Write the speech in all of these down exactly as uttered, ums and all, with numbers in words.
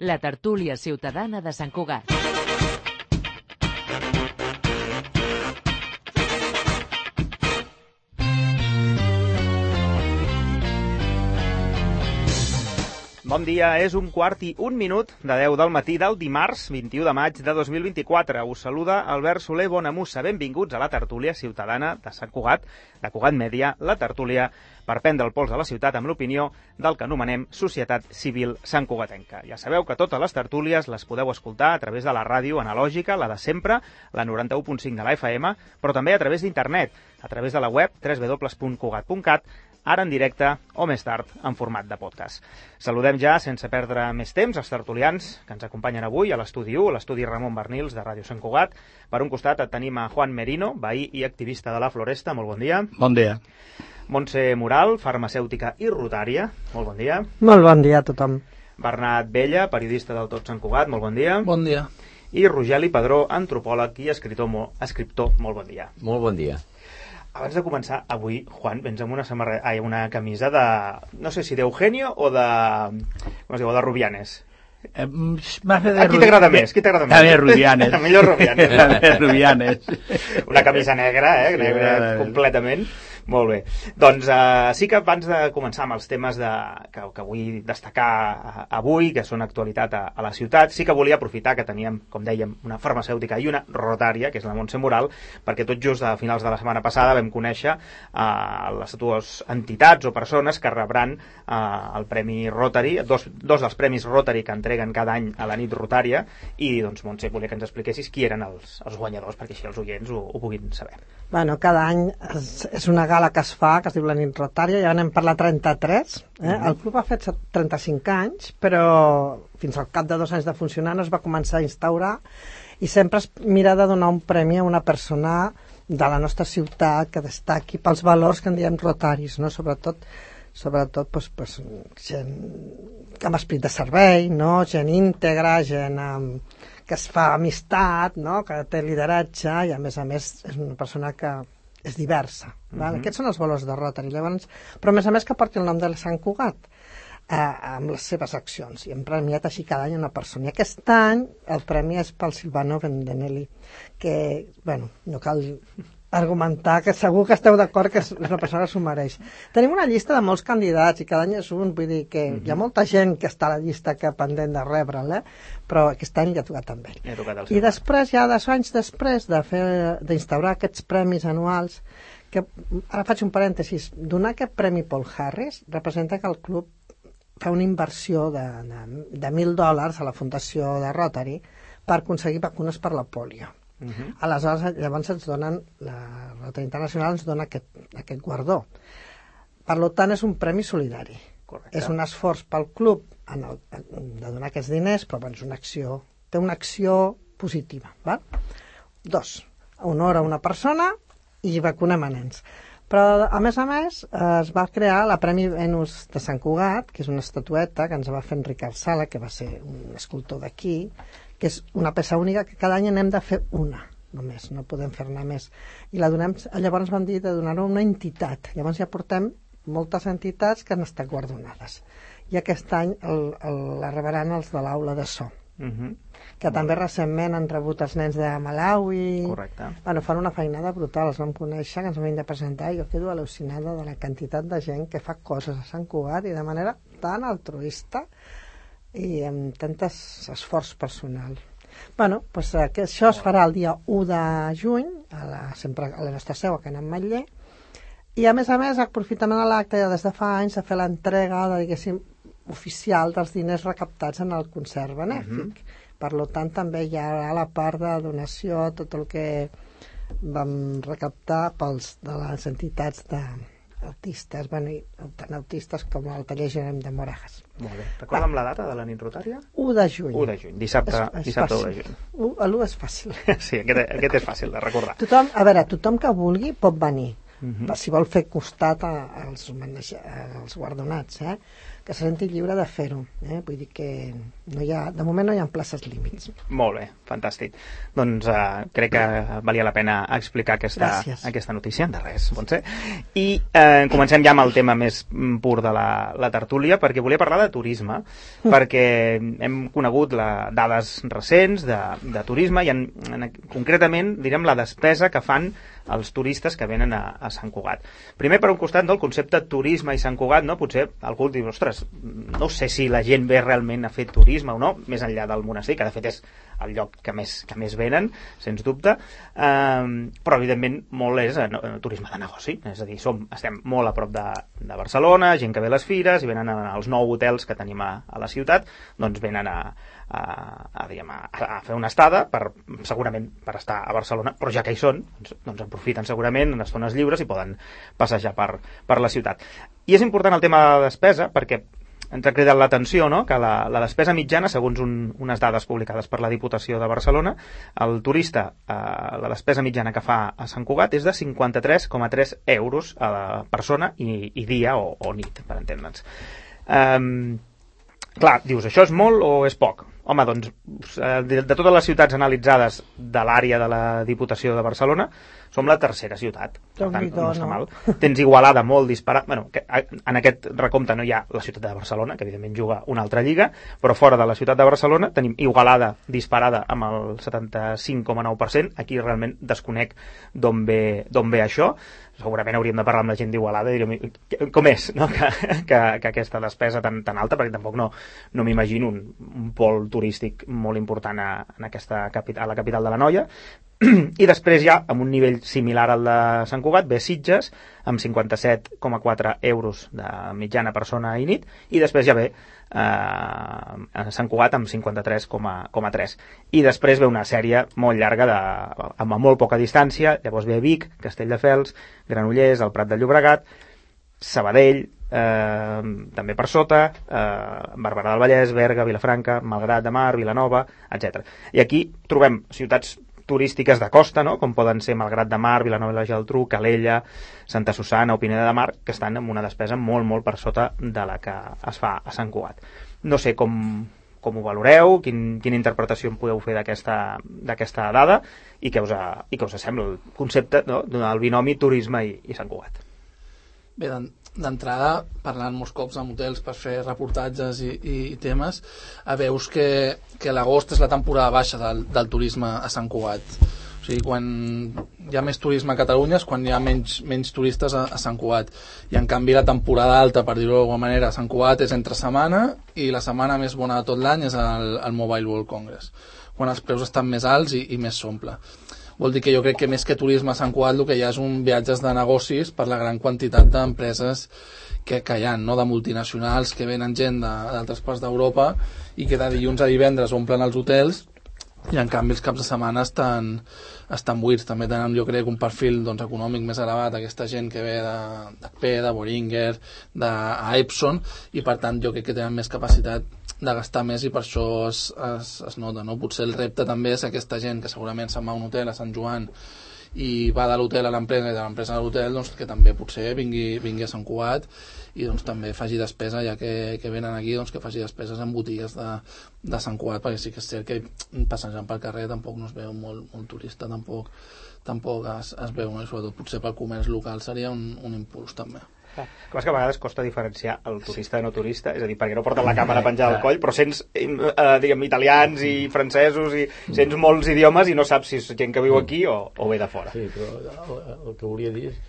la tertúlia ciutadana de Sant Cugat. Bon dia, és un quart i un minut de deu del matí del dimarts vint-i-u de maig de dos mil vint-i-quatre. Us saluda Albert Soler Bonamussa. Benvinguts a la tertúlia ciutadana de Sant Cugat, de Cugat Mèdia, la tertúlia per prendre el pols de la ciutat amb l'opinió del que anomenem Societat Civil Santcugatenca. Ja sabeu que totes les tertúlies les podeu escoltar a través de la ràdio analògica, la de sempre, la noranta-u punt cinc de la F M, però també a través d'internet, a través de la web w w w punt cugat punt cat, ara en directe o més tard en format de podcast. Saludem ja, sense perdre més temps, els tertulians que ens acompanyen avui a l'estudi u, a l'estudi Ramon Bernils de Ràdio Sant Cugat. Per un costat tenim a Juan Merino, veí i activista de la Floresta. Molt bon dia. Bon dia. Montse Moral, farmacèutica i rotària. Molt bon dia. Molt bon dia a tothom. Bernat Bella, periodista del Tot Sant Cugat. Molt bon dia. Bon dia. I Rogeli Padró, antropòleg i escriptor. Molt, escriptor. Molt bon dia. Molt bon dia. Abans de començar, avui, Juan, vens amb una samarreta, ai, una camisa de, no sé si d'Eugenio o de, com es diu, de Rubianes. Eh, de a qui t'agrada més? Qui t'agrada més? A mi Rubianes. A millor Rubianes. A mi Rubianes. Una camisa negra, eh? Negra sí, completament. Molt bé. Doncs uh, sí que abans de començar amb els temes de, que, que vull destacar uh, avui, que són actualitat a, a la ciutat, sí que volia aprofitar que teníem, com dèiem, una farmacèutica i una rotària, que és la Montse Moral, perquè tot just a finals de la setmana passada vam conèixer uh, les dues entitats o persones que rebran uh, el Premi Rotary, dos, dos dels Premis Rotary que entreguen cada any a la nit rotària, i doncs Montse, volia que ens expliquessis qui eren els, els guanyadors, perquè així els oients ho, ho puguin saber. Bueno, cada any és, és una gala que es fa, que es diu la nit rotària, ja anem per la trenta-tres. Eh? Mm-hmm. El club ha fet trenta-cinc anys, però fins al cap de dos anys de funcionar no es va començar a instaurar, i sempre es mira de donar un premi a una persona de la nostra ciutat que destaqui pels valors que en diem rotaris, no? Sobretot, sobretot pues, pues, gent amb esperit de servei, no? Gent íntegra, gent amb... que es fa amistat, no? Que té lideratge i a més a més és una persona que és diversa. Val? Mm-hmm. Aquests són els valors de Rotary. Llavors, però a més a més que porti el nom de Sant Cugat eh, amb les seves accions. I hem premiat així cada any una persona. I aquest any el premi és pel Silvano Vendenelli, que, bueno, no cal argumentar, que segur que esteu d'acord que és una persona que s'ho mereix. Tenim una llista de molts candidats i cada any és un, vull dir que mm-hmm. hi ha molta gent que està a la llista que pendent de rebre'l, eh? Però aquest any ja ha tocat amb ell. Tocat I després, ja dos anys després de fer d'instaurar aquests premis anuals, que ara faig un parèntesis, donar aquest premi Paul Harris representa que el club fa una inversió de, de, de mil dòlars a la fundació de Rotary per aconseguir vacunes per la pòlio. Uh-huh. Aleshores, llavors ens donen, la Rotary Internacional ens dona aquest, aquest guardó. Per tant, és un premi solidari. Correcte. És un esforç pel club en el, de donar aquests diners, però bueno, és una acció, té una acció positiva. Val? Dos, honora una persona i vacunem a nens. Però, a més a més, es va crear la Premi Venus de Sant Cugat, que és una estatueta que ens va fer Enric Arsala, que va ser un escultor d'aquí, que és una peça única que cada any n'hem de fer una, només, no podem fer-ne més. I la donem, llavors vam dir de donar-ho a una entitat. Llavors ja portem moltes entitats que han estat guardonades. I aquest any el, el, la rebaran els de l'aula de so, uh-huh. que Molt també bé. Recentment han rebut els nens de Malawi. Correcte. Bueno, fan una feinada brutal, els vam conèixer, que ens vam de presentar, i jo quedo al·lucinada de la quantitat de gent que fa coses a Sant Cugat i de manera tan altruista i amb tant esforç personal. Bueno, doncs que això es farà el dia u de juny, a la, sempre a la nostra seu, a Can Ametller, i a més a més aprofitem a l'acte ja des de fa anys de fer l'entrega, diguéssim, oficial dels diners recaptats en el concert benèfic. Uh-huh. Per tant, també hi ha la part de donació, tot el que vam recaptar pels de les entitats de autistes, bueno, tant autistes com el taller Jerem de Moragas. Molt bé. Recorda'm la data de la nit rotària? u de juny. u de juny, dissabte, és, és dissabte u de juny. l'u és fàcil. Sí, aquest, aquest és fàcil de recordar. Tothom, a veure, tothom que vulgui pot venir. uh-huh. si vol fer costat a, als, als guardonats, eh? que se senti lliure de fer-ho. Eh? Vull dir que no hi ha, de moment no hi ha places límits. Molt bé, fantàstic. Doncs uh, crec que valia la pena explicar aquesta, aquesta notícia. De res, Montse. I eh, comencem ja amb el tema més pur de la, la tertúlia, perquè volia parlar de turisme, mm. perquè hem conegut la, dades recents de, de turisme i en, en, concretament direm la despesa que fan els turistes que venen a, a Sant Cugat. Primer, per un costat, no, el concepte turisme i Sant Cugat, no, potser algú diu, ostres, no sé si la gent ve realment a fer turisme o no, més enllà del monestir, que de fet és el lloc que més, que més venen, sens dubte, eh, però evidentment molt és eh, turisme de negoci, és a dir, som, estem molt a prop de, de Barcelona, gent que ve a les fires i venen als nou hotels que tenim a, a la ciutat, doncs venen a, a, a, diguem, a, a fer una estada, per, segurament per estar a Barcelona, però ja que hi són, doncs, doncs aprofiten segurament en estones lliures i poden passejar per, per la ciutat. I és important el tema de la despesa perquè ens ha cridat l'atenció, no?, que la, la despesa mitjana, segons un, unes dades publicades per la Diputació de Barcelona, el turista, eh, la despesa mitjana que fa a Sant Cugat és de cinquanta-tres coma tres euros a la persona i, i dia o, o nit, per entendre'ns. Um, clar, dius, això és molt o és poc? Home, doncs, de, de totes les ciutats analitzades de l'àrea de la Diputació de Barcelona, som la tercera ciutat, per tant, no està mal. Tens Igualada molt disparat, bueno, que en aquest recompte no hi ha la ciutat de Barcelona, que evidentment juga una altra lliga, però fora de la ciutat de Barcelona tenim Igualada disparada amb el setanta-cinc coma nou per cent, aquí realment desconec d'on ve, d'on ve això, segurament hauríem de parlar amb la gent d'Igualada i diríem, com és, no?, que, que, que aquesta despesa tan, tan alta, perquè tampoc no, no m'imagino un, un pol turístic molt important a, en aquesta, a la capital de l'Anoia. I després ja, amb un nivell similar al de Sant Cugat, ve Sitges, amb cinquanta-set coma quatre euros de mitjana persona i nit, i després ja ve eh, Sant Cugat amb cinquanta-tres coma tres. I després ve una sèrie molt llarga, de, amb molt poca distància, llavors ve Vic, Castelldefels, Granollers, el Prat de Llobregat, Sabadell, eh, també per sota, eh, Barberà del Vallès, Berga, Vilafranca, Malgrat de Mar, Vilanova, etcètera. I aquí trobem ciutats turístiques de costa, no?, com poden ser Malgrat de Mar, Vilanova i la Geltrú, Calella, Santa Susana o Pineda de Mar, que estan amb una despesa molt, molt per sota de la que es fa a Sant Cugat. No sé com, com ho valoreu, quin, quina interpretació en podeu fer d'aquesta dada i què us, ha, i què us sembla el concepte, no?, del binomi turisme i, i Sant Cugat. Bé, d'entrada, parlant molts cops amb hotels per fer reportatges i, i temes, veus que, que l'agost és la temporada baixa del, del turisme a Sant Cugat. O sigui, quan hi ha més turisme a Catalunya és quan hi ha menys, menys turistes a, a Sant Cugat. I en canvi la temporada alta, per dir-ho d'alguna manera, a Sant Cugat és entre setmana i la setmana més bona de tot l'any és el, el Mobile World Congress, quan els preus estan més alts i, i més s'omple. Vol dir que jo crec que més que turisme a Sant Cugat el que hi ha és un viatges de negocis per la gran quantitat d'empreses que, que hi ha, no?, de multinacionals que venen gent d'altres parts d'Europa i que de dilluns a divendres omplen els hotels i en canvi els caps de setmana estan, estan buits. També tenen, jo crec, un perfil, doncs, econòmic més elevat, aquesta gent que ve d'H P, de Boehringer, d'Epson, i per tant jo crec que tenen més capacitat de gastar més i per això es, es, es nota, no? Potser el repte també és aquesta gent que segurament se'n va a un hotel a Sant Joan i va de l'hotel a l'empresa i de l'empresa a l'hotel, doncs que també potser vingui, vingui a Sant Cugat i doncs també faci despesa, ja que, que venen aquí, doncs que faci despeses en botigues de, de Sant Cugat, perquè sí que és cert que passejant pel carrer tampoc no es veu molt, molt turista, tampoc, tampoc es, es veu, no? I sobretot potser pel comerç local seria un, un impuls també. Ah, que a vegades costa diferenciar el turista de no turista, és a dir, perquè no porten la càmera penjada al coll, però sents eh, diguem, italians i francesos i sents molts idiomes i no saps si és gent que viu aquí o, o ve de fora. Sí, però el, el que volia dir és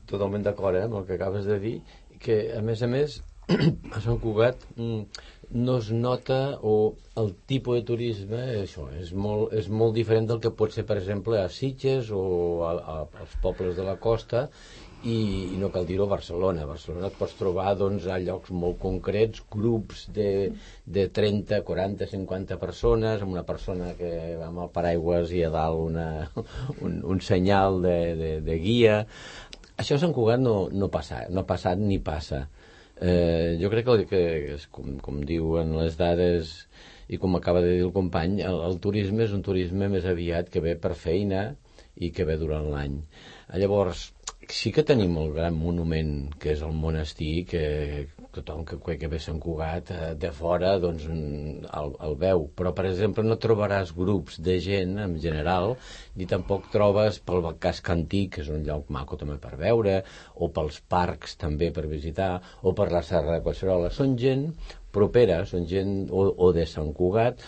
totalment d'acord eh, amb el que acabes de dir, que a més a més a Sant Cugat no es nota o el tipus de turisme això, és, molt, és molt diferent del que pot ser per exemple a Sitges o a, a, als pobles de la costa i, i no cal dir-ho a Barcelona. A Barcelona et pots trobar doncs, a llocs molt concrets, grups de, de trenta, quaranta, cinquanta persones, amb una persona que va amb el paraigües i a dalt una, un, un senyal de, de, de guia. Això a Sant Cugat no, no, passa, no ha passat ni passa. Eh, jo crec que, que com, com diuen les dades i com acaba de dir el company, el, el turisme és un turisme més aviat que ve per feina i que ve durant l'any. Llavors, sí que tenim el gran monument que és el monestir, que tothom que, que ve a Sant Cugat de fora doncs el, el veu, però per exemple no trobaràs grups de gent en general, ni tampoc trobes pel casc antic, que és un lloc maco també per veure, o pels parcs també per visitar, o per la Serra de Collserola. Són gent propera, són gent o, o de Sant Cugat,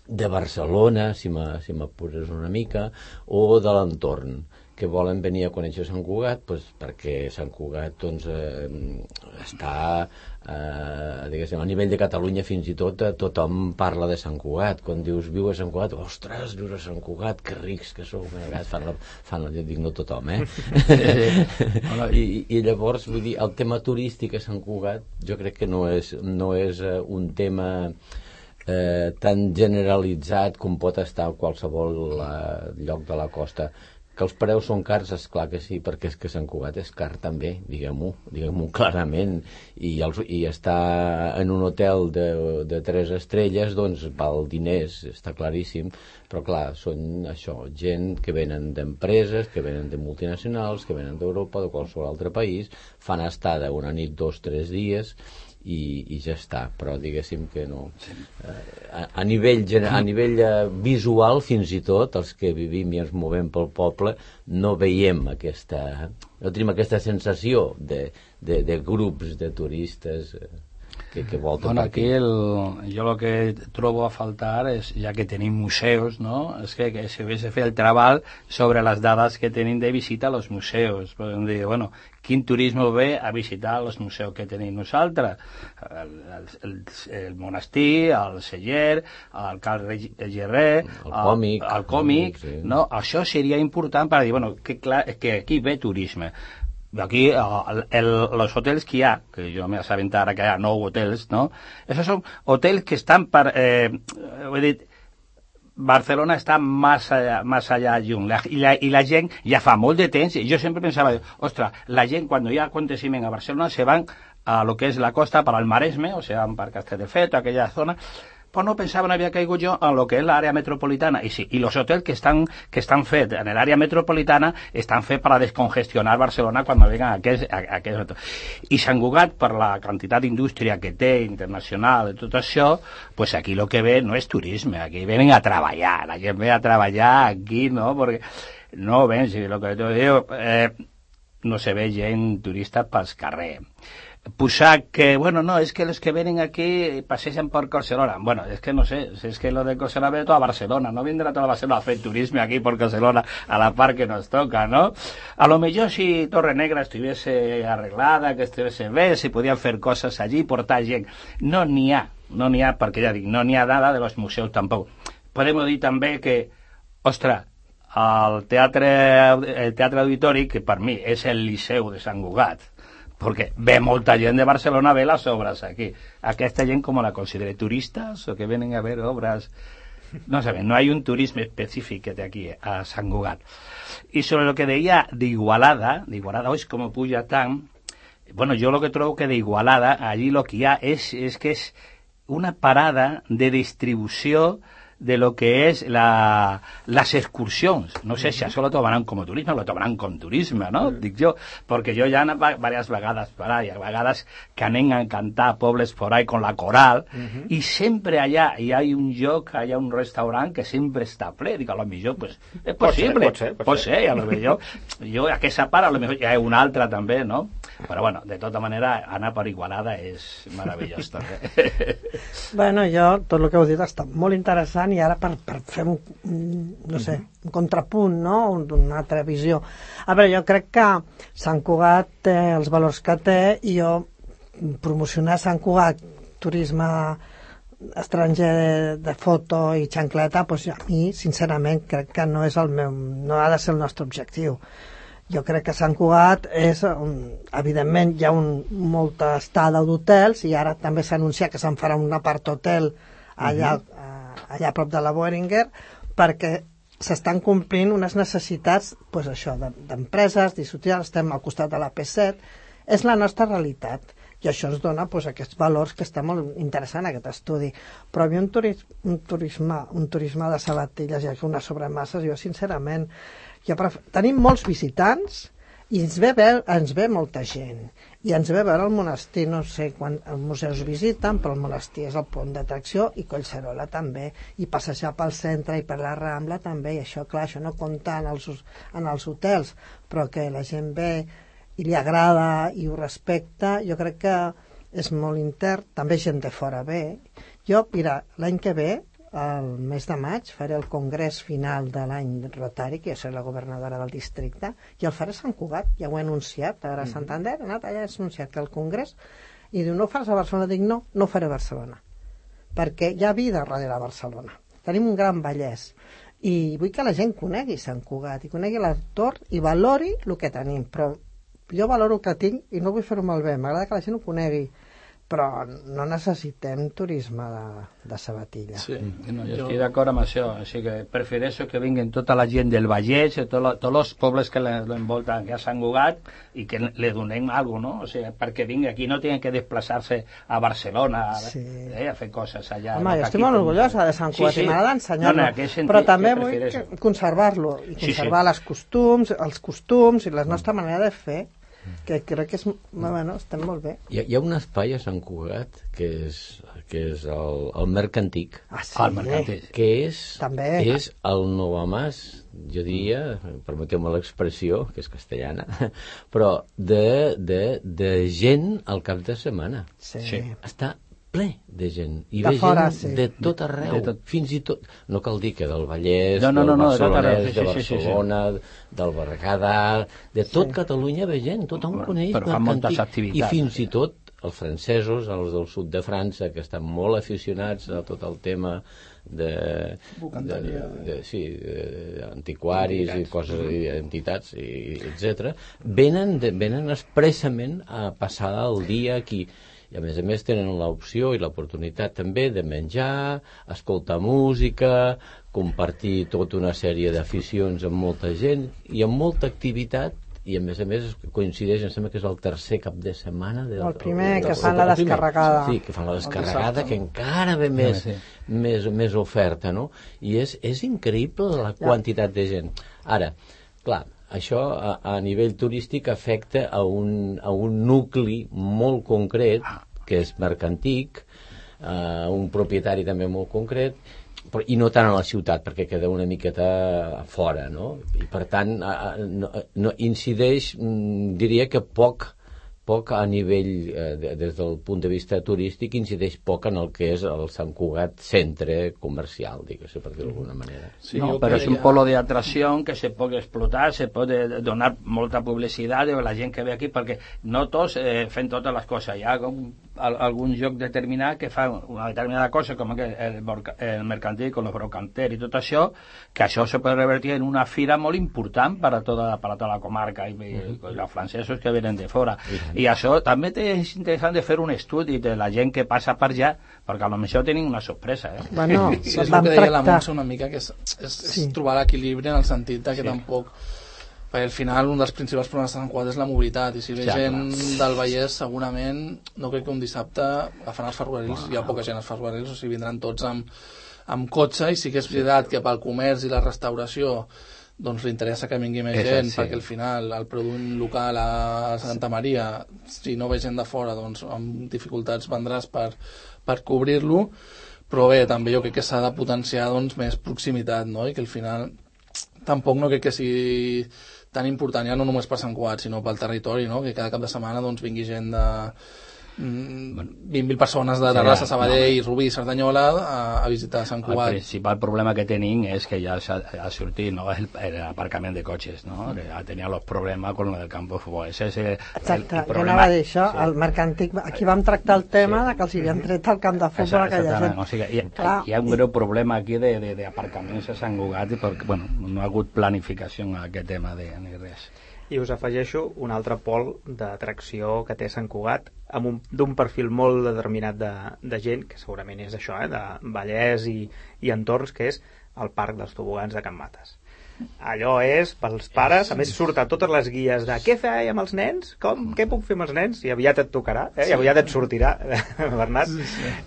de Barcelona, si m'apures una mica, o de l'entorn, que volen venir a conèixer Sant Cugat, doncs, perquè Sant Cugat doncs, eh, està eh, diguéssim, a nivell de Catalunya fins i tot eh, tothom parla de Sant Cugat. Quan dius viu a Sant Cugat, ostres, vius a Sant Cugat, que rics que sou. A vegades fan la, fan la, jo dic no tothom, eh? I, I llavors, vull dir, el tema turístic a Sant Cugat jo crec que no és, no és eh, un tema eh, tan generalitzat com pot estar a qualsevol eh, lloc de la costa. Que els preus són cars, és clar que sí, perquè és que Sant Cugat és car també, diguem-ho, diguem-ho clarament, i, els, i estar en un hotel de, de tres estrelles, doncs val diners, està claríssim, però clar, són això, gent que venen d'empreses, que venen de multinacionals, que venen d'Europa, de qualsevol altre país, fan estada una nit, dos, tres dies, i, i ja està, però diguéssim que no. A, a nivell, a nivell visual, fins i tot, els que vivim i ens movem pel poble, no veiem aquesta, no tenim aquesta sensació de, de, de grups de turistes que, que volten bueno, per aquí. aquí el, jo el que trobo a faltar és, ja que tenim museus, no? És que, que si hagués de fer el treball sobre les dades que tenim de visita als museus. Podem dir, bueno, quin turisme ve a visitar els museus que tenim nosaltres? El, el, el, el monestir, el celler, el Cal Gerrer, el còmic, el, el còmic, sí. No? Això seria important per dir, bueno, que, clar, que aquí ve turisme. Aquí, el, el, los hoteles que hi ha, que jo m'he assabentat ara que hi ha nou hotels, no? Esos són hotels que estan per... Eh, ho he dit, Barcelona està més allà, més allà lluny, la, i, la, i la gent ja fa molt de temps, jo sempre pensava, ostres, la gent quan hi ha aconteciment a Barcelona se van a lo que és la costa per al Maresme, o sigui, per Castelldefels, aquella zona, però no pensava, no havia caigut jo en lo que és l'àrea metropolitana, i sí, i els hotels que estan, que estan fets en l'àrea metropolitana estan fets per a descongestionar Barcelona quan vengan a aquest, a, a aquest... I Sant Cugat, per la quantitat d'indústria que té, internacional, i tot això, pues aquí lo que ve no és turisme, aquí venen a treballar, la gent ve a treballar aquí, no? Perquè no ven, si lo que te digo, eh, no se ve gent turista pels carrers. Posar que, bueno, no, es que los que vienen aquí pasean por Collserola. Bueno, es que no sé, si es que lo de Collserola viene toda Barcelona, no vendrá toda Barcelona a hacer turismo aquí por Collserola a la par que nos toca, ¿no? A lo mejor si Torre Negra estuviese arreglada, que estuviese bé, si podían hacer cosas allí, portar gent. No n'hi ha, no n'hi ha, perquè ja dic, no n'hi ha nada de los museus tampoc. Podem dir també que, ostres, el teatre, el teatre auditori, que per mi és el Liceu de Sant Cugat, perquè ve molta gent de Barcelona a ver las obras aquí. Aquesta gent com la considera turistas o que vienen a ver obras, no saben, no hay un turismo específico de aquí a Sant Cugat. Y sobre lo que deia d'Igualada, d'Igualada, oi, com puja tant, bueno, jo lo que trobo que d'Igualada, allí lo que hi ha és, és que és una parada de distribució de lo que es la, las excursions. No sé si això lo tomaran com turisme o lo tomaran com turisme, no? Dic jo, perquè jo ja he anat diverses vegades per ahí, a vegades que anem a cantar a pobles por ahí con la coral, uh-huh. I sempre allà hi ha un lloc, hi ha un restaurant que sempre està ple. Dic, a lo millor, pues, és possible. Pot ser, pot ser. Pot ser, a lo millor. Jo, aquesta part, a lo millor hi ha una altra també, no? Però bueno, de tota manera, anar per Igualada és meravellós també. Bueno, jo, tot el que heu dit està molt interessant, i ara per, per fer un, no sé, un contrapunt, no? Una altra visió. A veure, jo crec que Sant Cugat té els valors que té, i jo promocionar Sant Cugat, turisme estranger de, de foto i xancleta, doncs a mi, sincerament, crec que no és el meu, no ha de ser el nostre objectiu. Jo crec que Sant Cugat és, evidentment, hi ha un, molta estada d'hotels, i ara també s'ha anunciat que se'n farà un apart hotel allà, uh-huh. allà a prop de la Boehringer, perquè s'estan complint unes necessitats, doncs això, d'empreses, d'institucions, estem al costat de la P set, és la nostra realitat, i això ens dona doncs, aquests valors que està molt interessant aquest estudi. Però a mi un, turisme, un, turisme, un turisme de sabatilles i unes sobremasses, jo sincerament, jo pref... tenim molts visitants, I ens ve, ve, ens ve molta gent. I ens ve a veure el monestir, no sé quan els museus visiten, però el monestir és el punt d'atracció, i Collserola també. I passejar pel centre i per la Rambla també. I això, clar, això no compta en els, en els hotels, però que la gent ve i li agrada i ho respecta, jo crec que és molt intern. També gent de fora ve. Jo, mira, l'any que ve, el mes de maig, faré el congrés final de l'any Rotari, que jo soc la governadora del districte, i el faré a Sant Cugat, ja ho he anunciat, ara a Santander, he anat allà, he anunciat que el congrés, i diu, no ho fas a Barcelona? Dic, no, no ho faré a Barcelona, perquè hi ha vida darrere a Barcelona. Tenim un gran Vallès, i vull que la gent conegui Sant Cugat, i conegui l'entorn, i valori el que tenim, però jo valoro el que tinc i no vull fer-ho malbé, m'agrada que la gent ho conegui, però no necessitem turisme de, de sabatilla. Sí, no, jo estic d'acord amb això, així que prefereixo que vinguin tota la gent del Vallès, tots els pobles que l'envolten aquí a Sant Cugat, i que li donem alguna cosa, no? O sigui, perquè vingui aquí, no tenen que desplaçar-se a Barcelona sí. eh, a fer coses allà. Home, jo estic molt orgullosa de Sant Cugat sí, sí. i m'agrada ensenyar-lo, no, no, però també vull que conservar-lo, i conservar sí, sí. les costums, els costums i la nostra manera de fer, que crec que és, bueno, estem molt bé. Hi ha, hi ha un espai a Sant Cugat que és, que és el, el Mercantic, ah, sí, el Mercantic. que és, també. és el Novamàs, jo diria, permeteu-me l'expressió, que és castellana, però de, de, de gent al cap de setmana. Sí. sí. Està ple de gent, i de ve fora, gent sí. de tot arreu, de tot. Fins i tot, no cal dir que del Vallès, no, no, del no, no, Barcelonès, de, de Barcelona, sí, sí, sí. del Berguedà, de tot sí. Catalunya ve gent, tothom coneix. Però fan moltes activitats. I fins i tot els francesos, els del sud de França, que estan molt aficionats a tot el tema de, de, de, sí, de antiquaris i coses, i entitats, i, etcètera, venen, de, venen expressament a passar el dia aquí. I a més a més tenen l'opció i l'oportunitat també de menjar, escoltar música, compartir tota una sèrie d'aficions amb molta gent i amb molta activitat, i a més a més coincideix, em sembla que és el tercer cap de setmana del, el primer, el, el, que fan la descarregada. Sí, que fan la descarregada, que encara ve més, sí, sí. més, més oferta, no? I és, és increïble la quantitat de gent. Ara, clar, això a, a nivell turístic afecta a un, a un nucli molt concret, que és Mercantic, a un propietari també molt concret, però, i no tant a la ciutat, perquè queda una miqueta a fora, no? I per tant, a, a, no, no, incideix, diria que poc, poc a nivell, eh, des del punt de vista turístic, incideix poc en el que és el Sant Cugat centre comercial, digues, per dir-ho d'alguna manera. Sí, no, però és un polo de atracción que se pot explotar, se pot donar molta publicitat a la gent que ve aquí, perquè no tots eh, fem totes les coses. Hi ha un, algun lloc determinat que fa una determinada cosa, com el, el, el mercantil, con los brocanteros i tot això, que això se pot revertir en una fira molt important per a tota, per a tota la comarca, i, i, i els francesos que venen de fora. I això també és interessant de fer un estudi de la gent que passa per allà, perquè a lo millor tenim una sorpresa. Eh? Bueno, sí, és el que deia la Montse una mica, que és, és, és sí. trobar l'equilibri en el sentit de que sí. tampoc... Perquè al final un dels principals problemes de Sant Cugat és la mobilitat, i si ve sí, gent clar. del Vallès segurament no crec que un dissabte agafaran els ferrocarrils, wow. hi ha poca gent als ferrocarrils, o sigui, vindran tots amb, amb cotxe, i sí que és veritat que pel comerç i la restauració doncs li interessa que vingui més gent, sí. perquè al final el producte local a Santa Maria, si no ve gent de fora, doncs amb dificultats vendràs per, per cobrir-lo, però bé, també jo crec que s'ha de potenciar doncs, més proximitat, no? I que al final tampoc no crec que sigui tan important, ja no només per Sant Cugat, sinó pel territori, no? Que cada cap de setmana doncs, vingui gent de vint mil persones de Terrassa, sí, Sabadell, no, Rubí i Cerdanyola a, a visitar Sant Cugat. El principal problema que tenim és que ja ha sortit, no, el, el aparcament de cotxes, no? Que ja tenia els problemes con lo del campo de futbol. Ese és el, exacte, el, el jo anava a dir això, sí. El Mercantic, aquí vam tractar el tema sí. de que els havien tret el camp de futbol a aquella gent. O sigui, hi, hi ha un greu problema aquí d'aparcaments a Sant Cugat, perquè bueno, no ha hagut planificació en aquest tema de, ni res. I us afegeixo un altre pol d'atracció que té Sant Cugat, amb un, d'un perfil molt determinat de, de gent, que segurament és això, eh, de Vallès i, i entorns, que és el Parc dels Tobogans de Can Mates. Allò és pels pares, a més surt a totes les guies de què fer amb els nens, com, què puc fer amb els nens, i aviat et tocarà, eh? I aviat et sortirà, Bernat,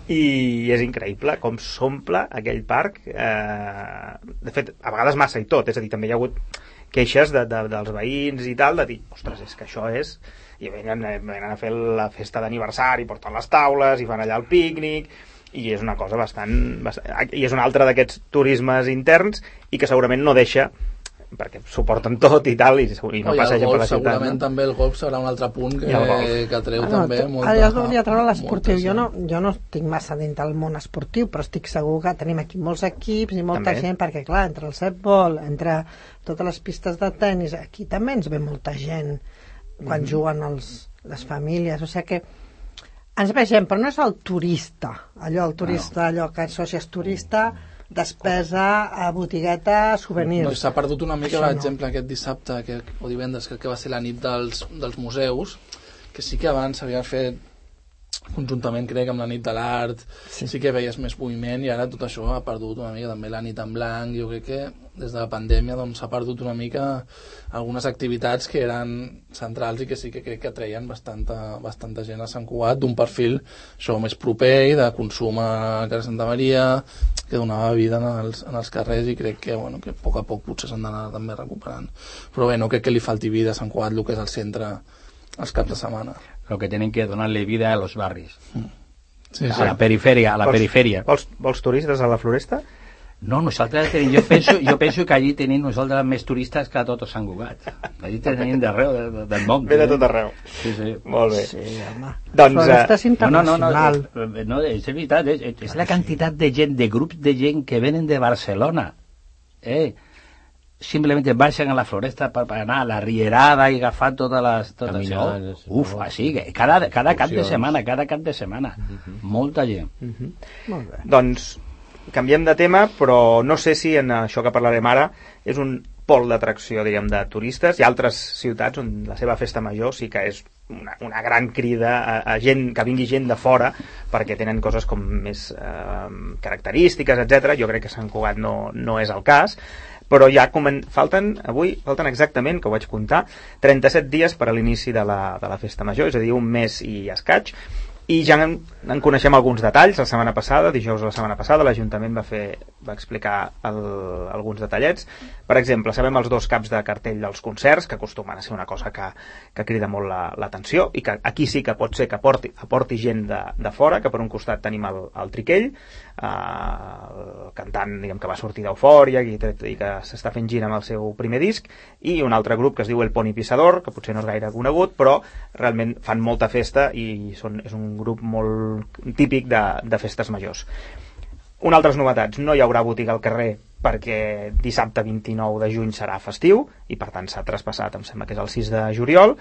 i és increïble com s'omple aquell parc, eh, de fet, a vegades massa i tot, és a dir, també hi ha hagut queixes de, de, dels veïns i tal, de dir, ostres, és que això és... I venen, venen a fer la festa d'aniversari, porten les taules i fan allà el pícnic, i és una cosa bastant... bastant i és un altre d'aquests turismes interns i que segurament no deixa, perquè suporten tot i tal, i, i no oh, passa gent per la ciutat. Segurament no? també el golf serà un altre punt que, que treu ah, no, també molta... molta... Ara ja es volia treure l'esportiu. Jo no, jo no estic massa dins del món esportiu, però estic segur que tenim aquí molts equips i molta també. gent, perquè clar, entre el setbol, entre totes les pistes de tennis, aquí també ens ve molta gent quan mm. juguen els, les famílies, o sigui que ens ve gent, però no és el turista, allò, el turista, no. allò que associes turista, despesa a botigueta, souvenirs. No, s'ha perdut una mica, Això per no. exemple, aquest dissabte que, o divendres, crec que va ser la nit dels, dels museus, que sí que abans s'havia fet conjuntament, crec, amb la nit de l'art, sí. sí que veies més moviment, i ara tot això ha perdut una mica, també la nit en blanc. Jo crec que des de la pandèmia doncs, s'ha perdut una mica algunes activitats que eren centrals i que sí que crec que atreien bastanta, bastanta gent a Sant Cugat, d'un perfil això més proper i de consum a Casa Santa Maria, que donava vida en els, en els carrers, i crec que, bueno, que a poc a poc potser s'han d'anar també recuperant. Però bé, no crec que li falti vida a Sant Cugat, el que és el centre els caps de setmana. Lo que tienen que donarle vida a los barris. Sí, a sí. la periferia, a la vols, periferia. Vols, vols turistes a la Floresta? No, nosaltres tenim, jo penso, jo penso que allí tenim nosaltres més turistes que a tot Sant Cugat. Allí tenim d'arreu de, de, del món. Ve de tot arreu. Sí, sí. Molt bé. Sí, home. Doncs, Floresta és no, no, no, internacional. no, no, no, és veritat, és, és la quantitat de gent, de grups de gent que venen de Barcelona. Eh? Simplemente baixen a la Floresta per, per anar a la Rierada i agafar totes les... Tot Caminant, això. Uf, així, cada, cada cap de Excursions. setmana, cada cap de setmana. Uh-huh. Molta gent. Uh-huh. Molt bé. Doncs canviem de tema, però no sé si en això que parlarem ara és un pol d'atracció, diríem, de turistes. Hi ha altres ciutats on la seva festa major sí que és una, una gran crida a, a gent, que vingui gent de fora, perquè tenen coses com més eh, característiques, etcètera. Jo crec que Sant Cugat no, no és el cas, però ja comen... falten, avui, falten exactament, que ho vaig comptar, trenta-set dies per a l'inici de la, de la festa major, és a dir, un mes i escaig, i ja en, en coneixem alguns detalls. La setmana passada, dijous de la setmana passada, l'Ajuntament va fer va explicar el, alguns detallets. Per exemple, sabem els dos caps de cartell dels concerts, que acostumen a ser una cosa que, que crida molt l'atenció, la, i que aquí sí que pot ser que aporti, aporti gent de, de fora, que per un costat tenim el, el Triquell, eh, el cantant, diguem, que va sortir d'Eufòria i, i que s'està fent gira amb el seu primer disc, i un altre grup que es diu El Poni Pissador, que potser no és gaire conegut, però realment fan molta festa i són, és un grup molt típic de, de festes majors. Una altres novetats, no hi haurà botiga al carrer perquè dissabte vint-i-nou de juny serà festiu i per tant s'ha traspassat, em sembla que és el sis de juliol.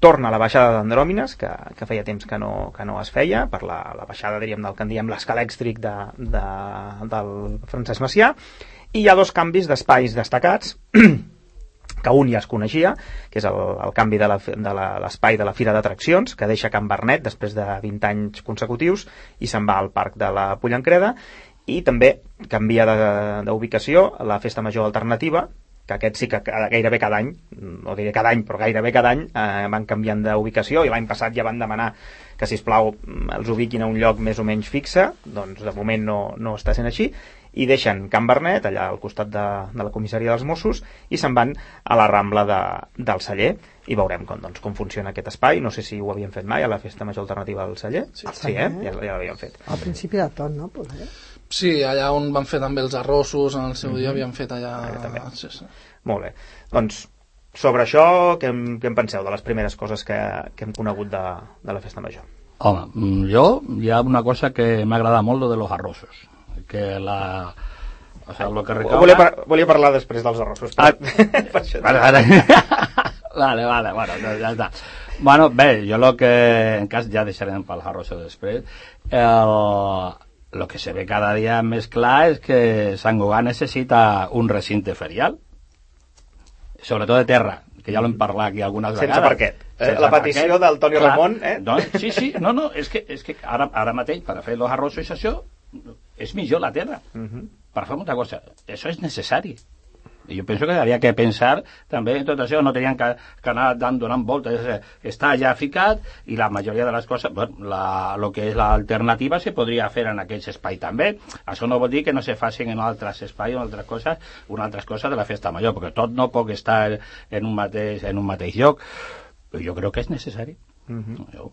Torna la baixada d'Andròmines, que, que feia temps que no, que no es feia, per la, la baixada, diríem, del que en diem l'escalèxtric de, de, del Francesc Macià, i hi ha dos canvis d'espais destacats, que un ja es coneixia, que és el, el canvi de l'espai de, de la Fira d'Atraccions, que deixa Can Bernet després de vint anys consecutius i se'n va al Parc de la Pollancreda, i també canvia d'ubicació la Festa Major Alternativa, que aquest sí que gairebé cada any, no diré cada any, però gairebé cada any eh, van canviant d'ubicació, i l'any passat ja van demanar que, sisplau, els ubiquin a un lloc més o menys fixe. Doncs de moment no, no està sent així, i deixen Can Bernet, allà al costat de, de la comissaria dels Mossos, i se'n van a la Rambla de, del Celler, i veurem com, doncs, com funciona aquest espai. No sé si ho havien fet mai a la Festa Major Alternativa del Celler. Sí, sí, eh? Ja, ja l'havien fet. Al principi de tot, no? Poder. Sí, allà on van fer també els arrossos, en el seu mm-hmm. dia havien fet allà... allà també. Sí, sí. Molt bé. Doncs, sobre això, què en, què en penseu de les primeres coses que, que hem conegut de, de la Festa Major? Home, jo hi ha una cosa que m'agrada molt, lo de los arrossos. Que la... O sea, lo que recauda... Volia, par volia parlar després dels arrossos. Ah, per això... Vale, vale. vale, vale, bueno, ja està. Bueno, bé, jo lo que... En cas, ja deixarem pels arrossos després. El... Lo que se ve cada dia més clar és que Sant Cugat necessita un recinte ferial, sobretot de terra, que ja l'hem parlat aquí algunes Sense vegades. parquet. Eh, la petició parquet, del Toni clar, Ramon, eh? No, sí, sí, no, no, és que, és que ara, ara mateix, per fer els arrossos i això, és millor la terra. Uh -huh. Per fer molta cosa. Això és necessari. I jo penso que havia que pensar també en tot això, no tenien que, que anar donant voltes, està ja ficat i la majoria de les coses, bueno, la, lo que és l'alternativa se podria fer en aquest espai també. Això no vol dir que no se facin en altres espais o en altres coses, una altra cosa de la festa major, perquè tot no pot estar en un mateix, en un mateix lloc, però jo crec que és necessari. Uh-huh. Jo,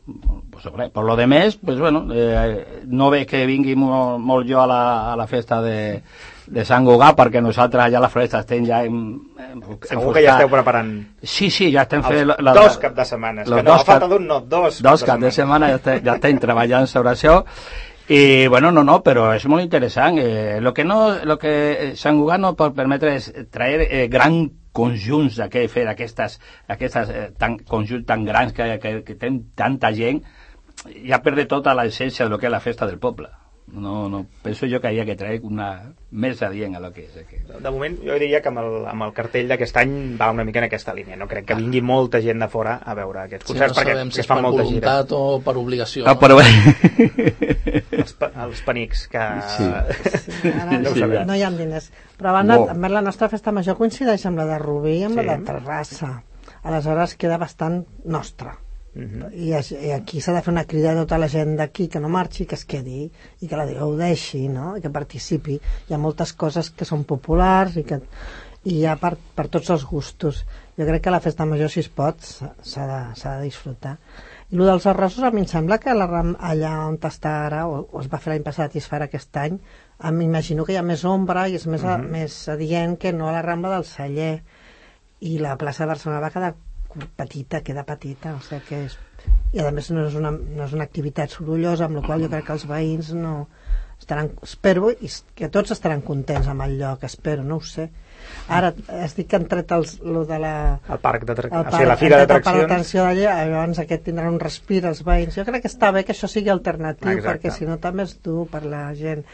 pues, por lo demés, pues bueno, eh, no veig que vingui molt, molt jo a la, a la festa de, de Sant Cugat, perquè nosaltres allà a la floresta estem ja en, en, segur que ja esteu preparant sí, sí, ja estem fent la, dos cap de setmanes, que no, a falta d'un no, dos dos cap de setmana ja estem, ja estem treballant sobre això. I, bueno, no, no, però és molt interessant. Eh, lo que no, lo que Sant Cugat no pot permetre és traer eh, gran conjunts d'aquest, fer aquestes, aquestes eh, tan, conjunts tan grans que, que, que tenen tanta gent, ja perde tota l'essència de lo que és la festa del poble. No, no, penso jo que havia que traer una més adient a lo que és aquí. De moment jo diria que amb el, amb el cartell d'aquest any va una mica en aquesta línia, no crec que vingui molta gent de fora a veure aquests concerts, sí, no perquè si es fan molta gira. Per voluntat o per obligació. Ah, però... els, pa, els penics que... Sí. Sí, ara no, sí, no hi ha diners. Però a banda, oh. a més, la nostra festa major coincideix amb la de Rubí i amb sí. la de Terrassa. Aleshores queda bastant nostra. Uh-huh. I, i aquí s'ha de fer una crida a tota la gent d'aquí que no marxi, que es quedi i que la gaudeixi, no? I que participi. Hi ha moltes coses que són populars i que i hi ha per, per tots els gustos. Jo crec que la festa major, si es pot, s'ha de, s'ha de disfrutar. I el dels arrossos, a mi em sembla que la, allà on està ara, o, o es va fer l'any passat i es farà aquest any, m'imagino que hi ha més ombra i és més, uh-huh. a, més adient que no a la Rambla del Celler. I la plaça de Barcelona va quedar petita, queda petita, o sigui que és... I a més no és una, no és una activitat sorollosa, amb la qual jo crec que els veïns no estaran, espero i que tots estaran contents amb el lloc, espero, no ho sé. Ara es dic que han tret els, lo de la... el parc d'atraccions, o sigui, la fira d'atraccions. L'atenció d'allà, llavors aquest tindrà un respir els veïns. Jo crec que està bé que això sigui alternatiu, exacte. Perquè si no també és dur per la gent.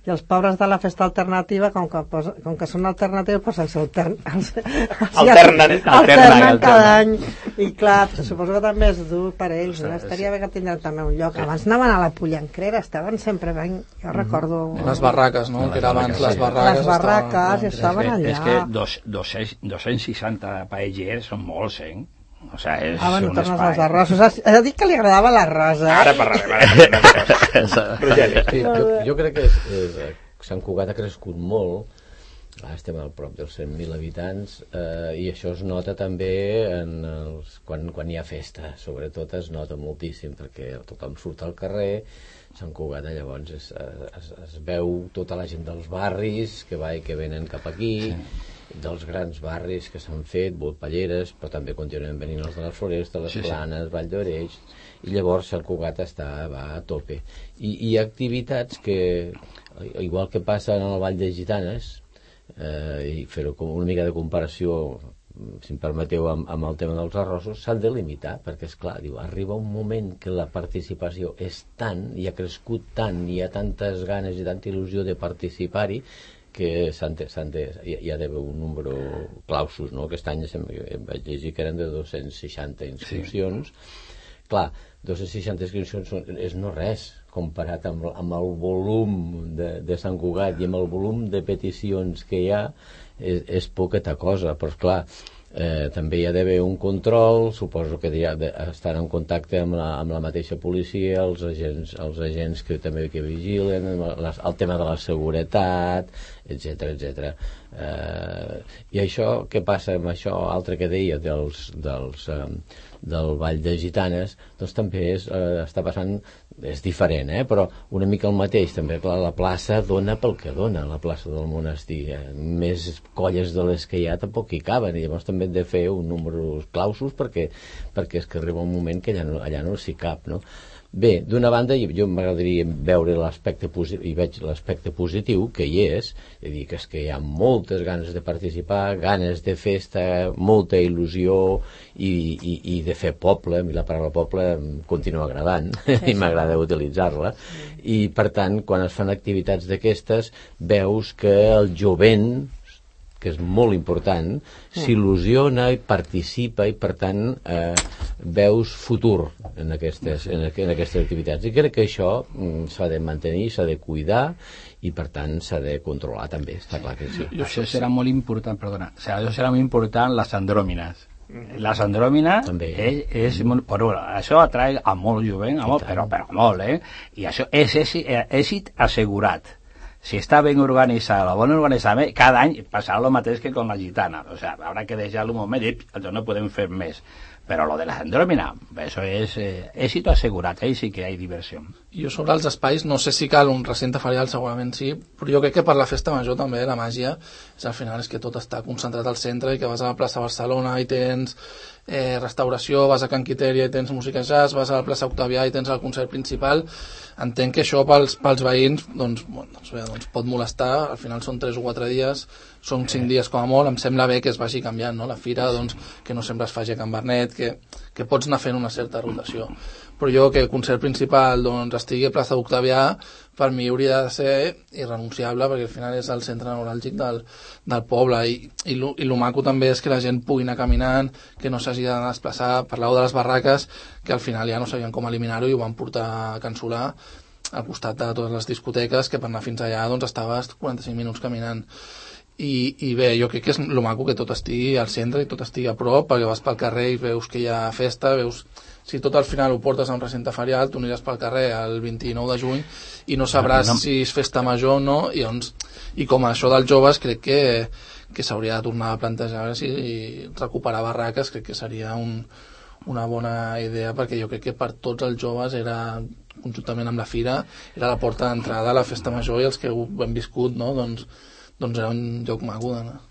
I els pobres de la festa alternativa, com que, posa, com que són alternatius, doncs els, altern, els, els alternen, alternen, alternen cada any. I clar, suposo que també és dur per ells, no? Estaria bé que tindran també un lloc. Abans anaven a la Pollancrera, estaven sempre ben... Jo recordo... Les barraques, no? Que era abans les barraques. Les barraques estaven allà. És que dos, dos-cents seixanta paellers són molts, eh? O sigui, és ah, bueno, un tornes espai. als arrossos. Has dit que li agradava l'arròs, eh? Ara parlarem, ara parlarem. Sí, jo, jo crec que és, és, Sant Cugat ha crescut molt, ara estem al prop dels cent mil habitants, eh, i això es nota també en els, quan, quan hi ha festa, sobretot es nota moltíssim, perquè tothom surt al carrer. Sant Cugat llavors es, es, es veu tota la gent dels barris que va i que venen cap aquí, sí. Dels grans barris que s'han fet, Volpelleres, però també continuen venint els de les Florestes, les sí, Planes, sí. Vall d'Oreix, i llavors Sant Cugat està, va a tope. I hi ha activitats que, igual que passa en el Vall de Gitanes, eh, i fer-ho com una mica de comparació, si em permeteu, amb, amb el tema dels arrossos, s'han de limitar, perquè, és clar, diu, arriba un moment que la participació és tant, i ha crescut tant, i hi ha tantes ganes i tanta il·lusió de participar-hi, que s'han de, s'han de, hi ha d'haver un número clausus, no? Aquest any em vaig llegir que eren de dos-cents seixanta inscripcions. Sí. Clar, dos-cents seixanta inscripcions és no res comparat amb, amb el volum de, de Sant Cugat i amb el volum de peticions que hi ha, és, és poqueta cosa, però clar, eh, també hi ha d'haver un control, suposo que hi ha d'estar en contacte amb la, amb la mateixa policia, els agents, els agents que també que vigilen, les, el tema de la seguretat, etcètera, etcètera. Eh, I això, què passa amb això altre que deia dels, dels, eh, del Vall de Gitanes, doncs també és, eh, està passant, és diferent, eh? Però una mica el mateix, també, clar, la plaça dona pel que dona, la plaça del monestir, eh? Més colles de les que hi ha tampoc hi caben, i llavors també hem de fer un número clausus perquè, perquè és que arriba un moment que allà no, allà no s'hi cap, no? Bé, d'una banda, jo m'agradaria veure l'aspecte positiu, i veig l'aspecte positiu que hi és, és a dir, que és que hi ha moltes ganes de participar, ganes de festa, molta il·lusió i, i, i de fer poble. A mi la paraula poble em continua agradant, sí, i m'agrada utilitzar-la, i per tant, quan es fan activitats d'aquestes, veus que el jovent que és molt important, s'il·lusiona i participa i, per tant, eh, veus futur en aquestes, en, en aquestes activitats. I crec que això mm, s'ha de mantenir, s'ha de cuidar i, per tant, s'ha de controlar també, està clar que sí. I això serà molt important, perdona, o sigui, això serà molt important les andròmines. Les andròmines és, és molt, però això atrae a molt jovent, a molt, però, però molt, eh? I això és èxit, èxit assegurat. Si està ben organitzada, bon organitzament, cada any passarà el mateix que con la gitana. O sea, habrá que deixar-lo un moment i no podem fer més. Però lo de la andròmina, això és eh, èxit assegurat, ahí sí que hi ha diversió. Jo sobre els espais, no sé si cal un recinte ferial, segurament sí, però jo crec que per la festa major també la màgia és al final és que tot està concentrat al centre i que vas a la plaça Barcelona i tens eh, restauració, vas a Can Quitèria i tens música jazz, vas a la plaça Octavià i tens el concert principal. Entenc que això pels, pels veïns doncs, bueno, doncs, bé, doncs pot molestar, al final són tres o quatre dies, són cinc dies com a molt, em sembla bé que es vagi canviant, no? La fira, doncs, que no sempre es faci a Can Bernet, que, que pots anar fent una certa rotació. Però jo que el concert principal doncs, estigui a plaça Octavià, per mi hauria de ser irrenunciable, perquè al final és el centre neuràlgic del, del poble, i, i, lo, i lo maco també és que la gent pugui anar caminant, que no s'hagi de desplaçar. Parleu de les barraques, que al final ja no sabien com eliminar-ho i ho van portar a Can Solà, al costat de totes les discoteques, que per anar fins allà doncs, estaves quaranta-cinc minuts caminant. I, i bé, jo crec que és lo maco que tot estigui al centre i tot estigui a prop, perquè vas pel carrer i veus que hi ha festa, veus... Si tot al final ho portes a un recinte ferial, tu aniràs pel carrer el vint-i-nou de juny i no sabràs no, no. si és festa major o no, i, doncs, i com a això dels joves crec que, que s'hauria de tornar a plantejar si recuperar barraques, crec que seria un, una bona idea, perquè jo crec que per tots els joves era, conjuntament amb la fira, era la porta d'entrada a la festa major, i els que ho hem viscut, no? doncs, doncs era un lloc maco d'anar.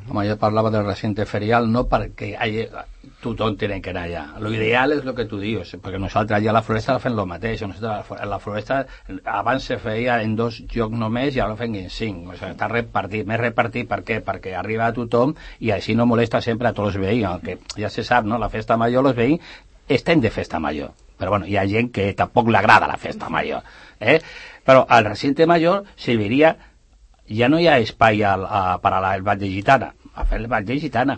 Home, jo parlava del recinte ferial no perquè hi, tothom tiene que anar allà. Lo ideal és el que tu dius, perquè nosaltres allà a la floresta fem el mateix. Nosaltres a la floresta abans se feia en dos llocs només i ara ho fem en cinc. O sigui, està repartit. Més repartit per què? Perquè arriba a tothom i així no molesta sempre a tots els veïns. Que ja se sap, no? La festa major, els veïns estem de festa major. Però bueno, hi ha gent que tampoc li agrada la festa major. Eh? Però al recinte major serviria... Ja no hi ha espai al, a, per al Ball de Gitana, a fer el Ball de Gitana,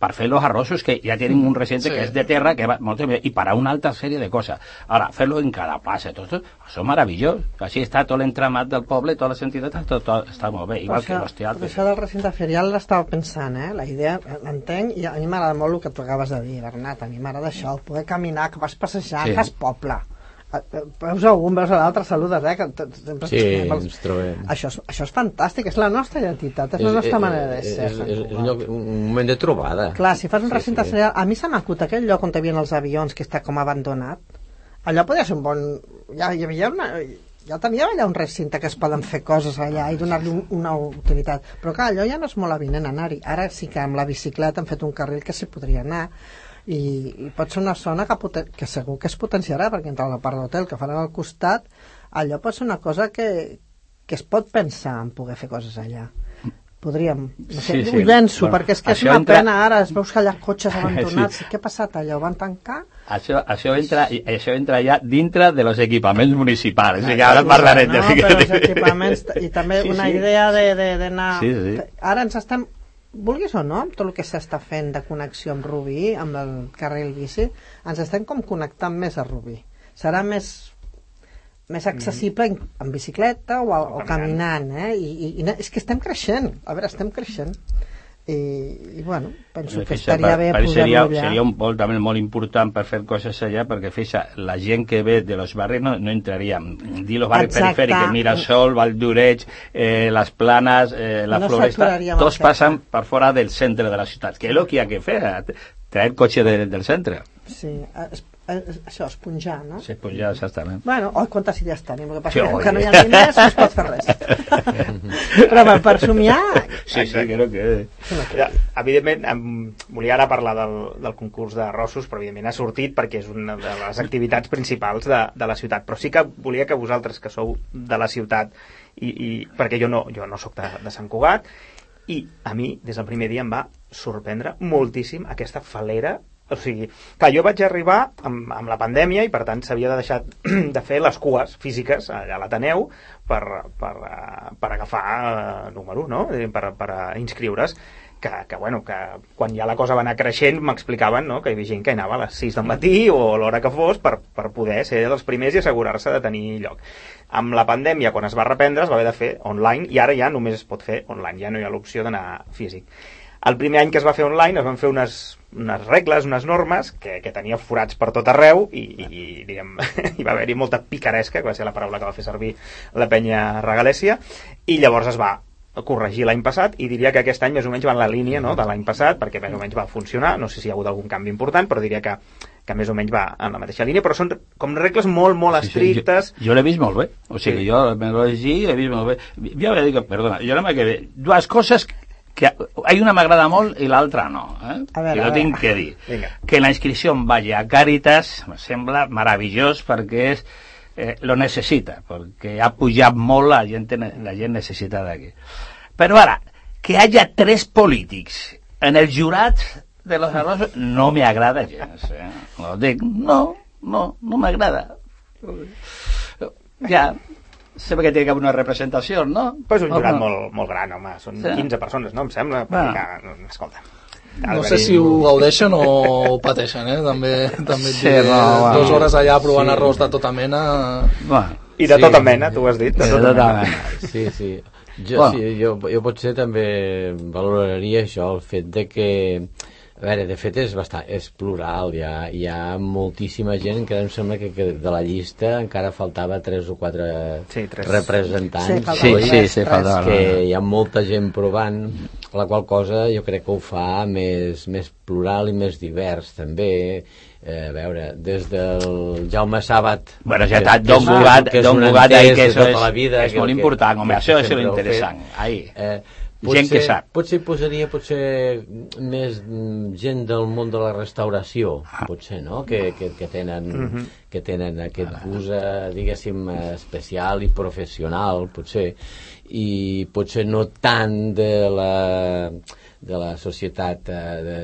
per fer els arrossos que ja tenen un recinte sí. que és de terra, que va molt bé, i per a una altra sèrie de coses. Ara, fer-lo en cada plaça, tot, tot, això és meravellós. Així està tot l'entramat del poble, totes les entitats, tot, tot està molt bé, igual això, que els teatres. Això del recinte ferial l'estava pensant, eh? La idea, l'entenc, i a mi m'agrada molt el que tu acabes de dir, Bernat, a mi m'agrada això, el poder caminar, que vas passejar, sí. fas poble. Veus a un, veus a l'altre, saludes, eh? Que sempre sí, ens trobem. Això és, això és fantàstic, és la nostra identitat, és, és la nostra és, manera de ser. És, és, és un, lloc, un moment de trobada. Clar, si fas un recinte sí, sí. a mi se m'acut aquell lloc on hi havia els avions, que està com abandonat, allò podria ser un bon... Ja hi havia una... Ja tenia allà un recinte que es poden fer coses allà i donar-li un, una utilitat, però clar, allò ja no és molt avinent anar-hi. Ara sí que amb la bicicleta han fet un carril que s'hi podria anar, i, i pot ser una zona que, poten, que segur que es potenciarà, perquè entre la part d'hotel que faran al costat, allò pot ser una cosa que, que es pot pensar en poder fer coses allà. Podríem, no sé, sí, sí. Ho llenço, bueno, perquè és que és una entra... pena ara, es veus que hi ha cotxes abandonats, sí. Què ha passat allà, ho van tancar? Això, això, entra, això entra ja dintre de los equipaments municipals, ah, ara parlarem no, de... però els equipaments, i també sí, una sí. idea d'anar... Sí, sí. Ara ens estem... Vulguis o no, amb tot el que s'està fent de connexió amb Rubí, amb el carril bici, ens estem com connectant més a Rubí. Serà més, més accessible en, en bicicleta o, o, o caminant, eh? I, i, i és que estem creixent, a veure, estem creixent. I, i bueno, penso que estaria bé poder-ho seria, allà. Seria un vol també molt important per fer coses allà, perquè fixa, la gent que ve de los barris no, no entraria. Dir los barris perifèricos, Mirasol, Valldoreix, eh, les Planes, eh, la no Floresta, tots passen per fora del centre de la ciutat, que és el que hi ha que fer, traer cotxe de, del centre. Sí, es, es, això, esponjar, no? Sí, esponjar, exactament. Bueno, oi, quantes idees tenim, el que passa sí, que no hi ha diners, no es pot fer res. Però per, per somiar... Sí, sí, crec que... Ja, evidentment, em, volia ara parlar del, del concurs de Rossos, però evidentment ha sortit perquè és una de les activitats principals de, de la ciutat. Però sí que volia que vosaltres, que sou de la ciutat, i, i perquè jo no, jo no sóc de, de Sant Cugat, i a mi, des del primer dia, em va sorprendre moltíssim aquesta falera o sigui, clar, jo vaig arribar amb, amb la pandèmia i per tant s'havia de deixar de fer les cues físiques allà a l'Ateneu per, per, per agafar eh, número, no? Per, per inscriure's, que, que, bueno, que quan ja la cosa va anar creixent m'explicaven, no?, que hi havia gent que anava a les sis del matí o a l'hora que fos per, per poder ser dels primers i assegurar-se de tenir lloc. Amb la pandèmia, quan es va reprendre, es va haver de fer online i ara ja només es pot fer online, ja no hi ha l'opció d'anar físic. El primer any que es va fer online es van fer unes, unes regles, unes normes que, que tenia forats per tot arreu i, i, i diguem, hi va haver-hi molta picaresca, que va ser la paraula que va fer servir la penya regalèsia, i llavors es va corregir l'any passat i diria que aquest any més o menys va en la línia, no?, de l'any passat, perquè més o menys va funcionar, no sé si hi ha hagut algun canvi important, però diria que, que més o menys va en la mateixa línia, però són com regles molt, molt estrictes. Sí, sí, jo jo l'he vist molt bé, o sigui, sí. Jo me l'he llegit, l'he vist molt bé. Jo he dit, perdona, jo no m'he quedat dues coses que hay una m'agrada molt i l'altra no, eh? A veure, jo tinc que dir Vinga. Que la inscripció vagi a Càritas me sembla meravellós perquè és, eh, lo necessita, perquè ha pujat molt la gent, la gent necessita d'aquí. Però ara, que haya tres polítics en el jurat de los arrosos no me agrada gens, eh? No, dic, no, no, no m'agrada. Ja sé que té que haver una representació, no? Pues un jurat no, molt, molt gran, home. Són sí. quinze persones, no? Em sembla. Perquè, escolta. No sé si ho gaudeixen o ho pateixen, eh? També, també sí, no, bueno. dues hores allà provant sí. arròs de tota mena. Bueno, I de sí. tota mena, tu has dit. De tota, de tota mena. mena. Sí, sí. Jo, bueno. sí, jo, jo potser també valoraria això, el fet de que... A veure, de fet és bastant, és plural, hi ha, hi ha moltíssima gent que em sembla que, que de la llista encara faltava tres o quatre sí, tres. representants. Sí, sí, sí, sí, faltava. Que hi ha molta gent provant, la qual cosa jo crec que ho fa més, més plural i més divers, també. Eh, a veure, des del Jaume Sàbat... Bueno, ja està, Don Cugat, Don Cugat, que és, és molt important, home, això és interessant. Ahí. Eh, Potser, gent que sap. Potser posaria potser més gent del món de la restauració, potser, no? Que, que, que, tenen, uh-huh. que tenen aquest gust, diguéssim, especial i professional, potser, i potser no tant de la, de la societat de, de,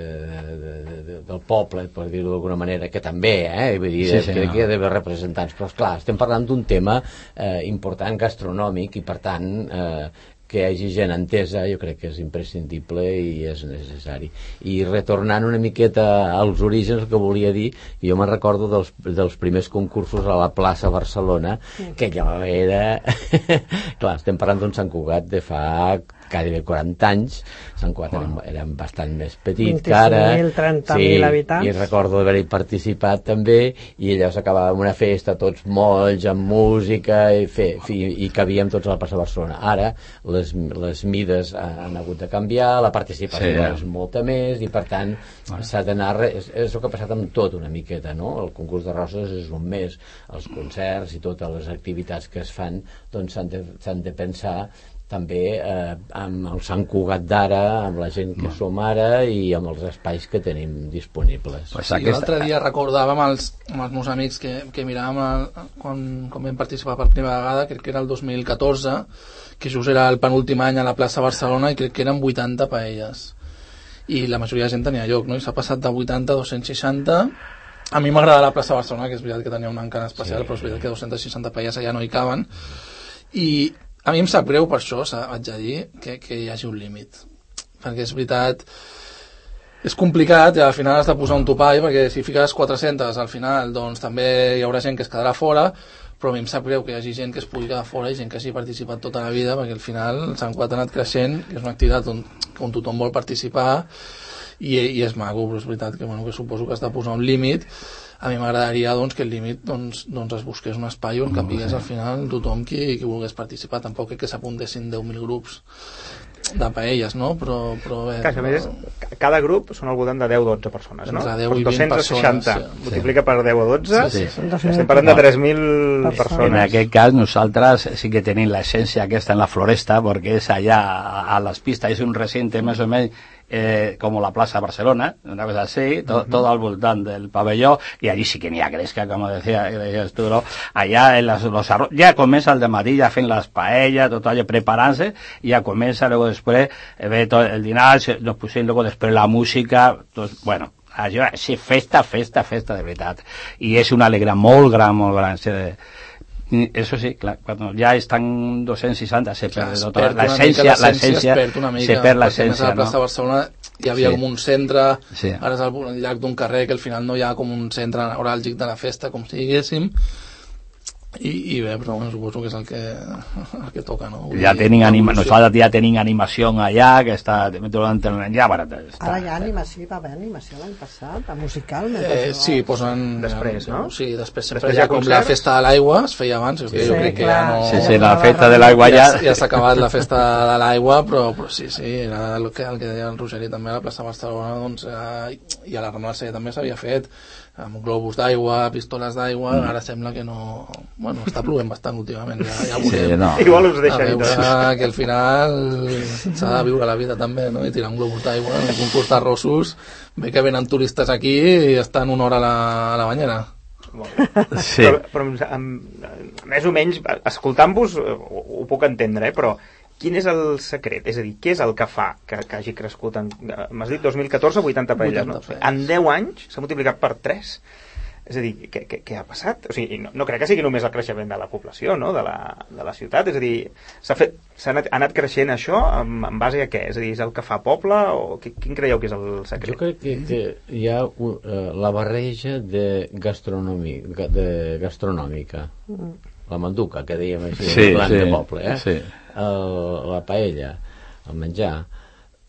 de, de, del poble, per dir-ho d'alguna manera, que també, eh? Vull dir, sí, sí, crec no. que hi ha d'haver representants, però esclar, estem parlant d'un tema eh, important gastronòmic i per tant eh, que hi hagi gent entesa jo crec que és imprescindible i és necessari. I retornant una miqueta als orígens, el que volia dir, jo me'n recordo dels, dels primers concursos a la plaça Barcelona, que allò era... Clar, estem parlant d'un Sant Cugat de fa gairebé quaranta anys, Sant Cugat wow. eren, eren bastant més petit que ara, vint-i-cinc mil, trenta mil sí, habitants, i recordo d'haver-hi participat també, i allò s'acabava amb una festa, tots molls, amb música, i, fer, i, i cabíem tots a la plaça Barcelona. Ara les, les mides han hagut de canviar, la participació sí, és molta més, i per tant bueno. s'ha d'anar, és, és el que ha passat amb tot una miqueta, no? El concurs de roses és un mes, els concerts i totes les activitats que es fan doncs s'han de, s'han de pensar també eh, amb el Sant Cugat d'ara, amb la gent que som ara i amb els espais que tenim disponibles. Pues sí, l'altre dia recordava amb els, amb els meus amics que, que miràvem el, quan, quan vam participar per primera vegada, crec que era el dos mil catorze, que just era el penúltim any a la plaça Barcelona i crec que eren vuitanta paelles. I la majoria de gent tenia lloc, no? I s'ha passat de vuitanta a dos-cents seixanta. A mi m'agrada la plaça Barcelona, que és veritat que tenia un encant especial, sí. però és veritat que dos-cents seixanta paelles allà no hi caben. I a mi em sap greu per això, vaig a dir, que, que hi hagi un límit. Perquè és veritat, és complicat i al final has de posar un topall, perquè si fiques quatre-centes al final, doncs també hi haurà gent que es quedarà fora, però a mi em sap greu que hi hagi gent que es pugui quedar fora i gent que hagi participat tota la vida, perquè al final el Sant Cugat ha anat creixent, que és una activitat on, on tothom vol participar, i, i és maco, però és veritat que, bueno, que suposo que has de posar un límit. A mi m'agradaria doncs, que el límit doncs, doncs es busqués un espai on capigués al final tothom qui, qui volgués participar. Tampoc crec que s'apuntessin deu mil grups de paelles, no? Però, però bé, Clar, però... més, cada grup són al voltant de deu o dotze persones, no? deu i vint dos-cents seixanta, sí. multiplica per deu o dotze, sí, sí, sí. estem parlant de tres mil persones. En aquest cas nosaltres sí que tenim l'essència aquesta en la floresta, perquè és allà a les pistes, és un recinte més o menys Eh, como la Plaza Barcelona, una cosa así, to, uh-huh. todo al voltant del pabellón, y allí sí que n'hi ha gresca, como decía, decías tú, ¿no? Allá en las, los arroz, ya comienza el dematí, ya hacen las paellas, todo allò, preparándose, y ya comienza luego después, eh, ve todo el dinar, nos pusieron luego después la música, entonces, bueno, això, sí, festa, festa, festa, de veritat. I és una alegria molt gran, molt gran. Eso sí, clar, quan ja estan dos-cents seixanta se perd tota l'essència, l'essència, se perd l'essència, no? A la plaça de Barcelona hi havia sí. com un centre, sí. ara és al llarg d'un carrer que al final no hi ha com un centre neuràlgic de la festa, com si diguéssim, i, i bé, però bueno, suposo que és el que, el que toca, no? Ja tenim anima, nosaltres ja tenim animació allà, que està ja barata. Ara hi ha animació, va haver animació l'any passat, a musical. Eh, sí, posen... Després, no? Sí, després sempre hi ha com la festa de l'aigua, es feia abans, sí, jo crec que ja no... Sí, sí, la festa de l'aigua ja... Ja, ja s'ha acabat la festa de l'aigua, però, però sí, sí, era el que, el que deia el Rogeri també a la plaça de Barcelona, doncs, eh, i a la Rambla també s'havia fet, amb globus d'aigua, pistoles d'aigua, mm. ara sembla que no... Bueno, està plovent bastant últimament, ja, ja veurem. Sí, no. Igual us deixa a veure que al final s'ha de viure la vida també, no? I tirar un globus d'aigua en un concurs d'arrossos, bé que venen turistes aquí i estan una hora a la, a la banyera. Sí. Però, però amb, més o menys, escoltant-vos ho, ho puc entendre, eh? Però quin és el secret? És a dir, què és el que fa que, que hagi crescut? En, m'has dit dos mil catorze, vuitanta parelles, no? En deu anys s'ha multiplicat per tres. És a dir, què, què, què ha passat? O sigui, no, no crec que sigui només el creixement de la població, no? de, la, de la ciutat. És a dir, s'ha fet, s'ha anat, ha anat creixent això en, en base a què? És a dir, és el que fa poble? O quin creieu que és el secret? Jo crec que, que hi ha uh, la barreja de, gastronòmica, de gastronòmica. La manduca, que dèiem així, sí, el sí, de poble, eh? Sí. El, la paella, el menjar,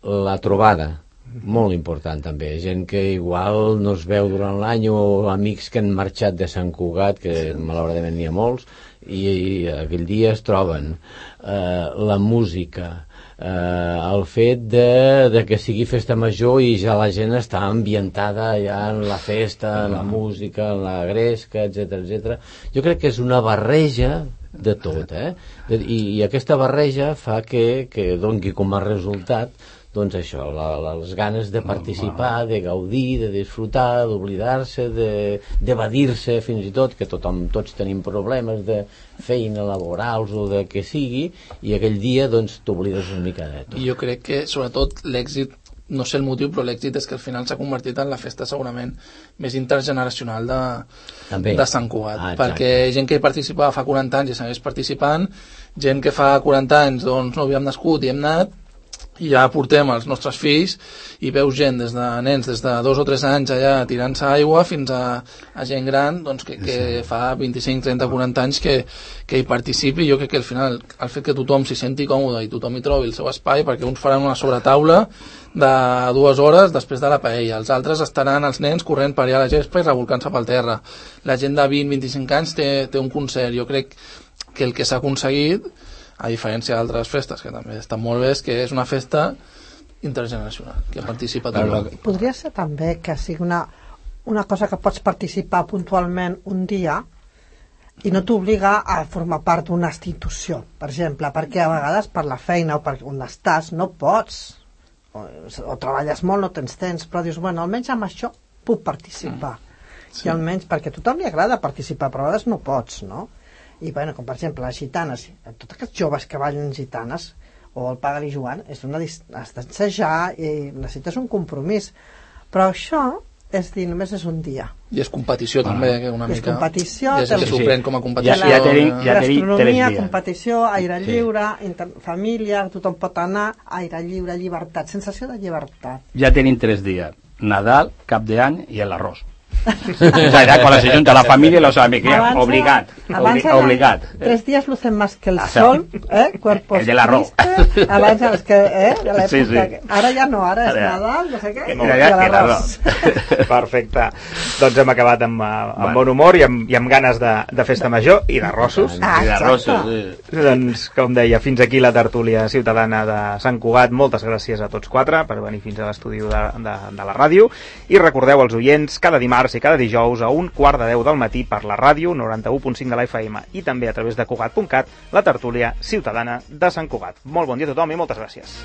la trobada, molt important també, gent que igual no es veu durant l'any o amics que han marxat de Sant Cugat, que sí. malauradament n'hi ha molts, i, i aquell dia es troben. Eh, la música, eh, el fet de, de que sigui festa major i ja la gent està ambientada ja en la festa, en la música, en la gresca, etcètera, etcètera. Jo crec que és una barreja de tot, eh? I, i aquesta barreja fa que, que doni com a resultat doncs això, la, les ganes de participar, de gaudir, de disfrutar, d'oblidar-se, d'evadir-se fins i tot, que tothom, tots tenim problemes de feina, laborals o de què sigui, i aquell dia doncs t'oblides una mica de tot. I jo crec que sobretot l'èxit, no sé el motiu, però l'èxit és que al final s'ha convertit en la festa segurament més intergeneracional de, de Sant Cugat, ah, perquè gent que hi participava fa quaranta anys i segueix participant, gent que fa quaranta anys doncs no havíem nascut i hem anat, i ja portem els nostres fills i veus gent des de nens des de dos o tres anys allà tirant-se aigua fins a, a gent gran doncs, que, que sí. fa vint-i-cinc, trenta, quaranta anys que, que hi participi. Jo crec que al final el fet que tothom s'hi senti còmode i tothom hi trobi el seu espai, perquè uns faran una sobretaula de dues hores després de la paella, els altres estaran els nens corrent per allà a la gespa i revolcant-se pel terra, la gent de vint, vint-i-cinc anys té, té un concert. Jo crec que el que s'ha aconseguit, a diferència d'altres festes que també estan molt bé, és que és una festa intergeneracional, que participa tothom. Podria ser també que sigui una, una cosa que pots participar puntualment un dia i no t'obliga a formar part d'una institució, per exemple, perquè a vegades per la feina o per on estàs no pots, o, o treballes molt, no tens temps, però dius, bueno, almenys amb això puc participar. Mm. Sí. I almenys perquè a tothom li agrada participar, però a vegades no pots, no? I, bueno, com per exemple, les gitanes, tots aquests joves que ballen gitanes, o el Paga-li Joan, és una, has d'ensejar i necessites un compromís. Però això, és dir, només és un dia. I és competició, ah. també, que una I és mica... competició. I és que s'ho pren com a competició. Ja, ja tenim, ja tenim gastronomia, competició, aire lliure, inter... família, tothom pot anar, aire lliure, llibertat, sensació de llibertat. Ja tenim tres dies. Nadal, Cap d'Any i l'arròs. O sea, era cuando se junta la familia y los amigos, obligat, obli obligat. Tres días lucen más que el sol, ¿eh? Cuerpos el de l'arròs. Abans, els que, eh? De l'època. Sí, sí. Ara ja no, ara és ara, Nadal, no sé què, i l'arròs. Perfecte. Doncs hem acabat amb, amb bueno. bon humor i amb, i amb ganes de, de festa major i d'arrossos. Ah, I d'arrossos, sí. Doncs, com deia, fins aquí la tertúlia ciutadana de Sant Cugat. Moltes gràcies a tots quatre per venir fins a l'estudi de, de, de la ràdio. I recordeu als oients, cada dimarts i cada dijous a un quart de deu del matí per la ràdio noranta-u punt cinc de la F M i també a través de Cugat punt cat, la tertúlia ciutadana de Sant Cugat. Molt bon dia a tothom i moltes gràcies.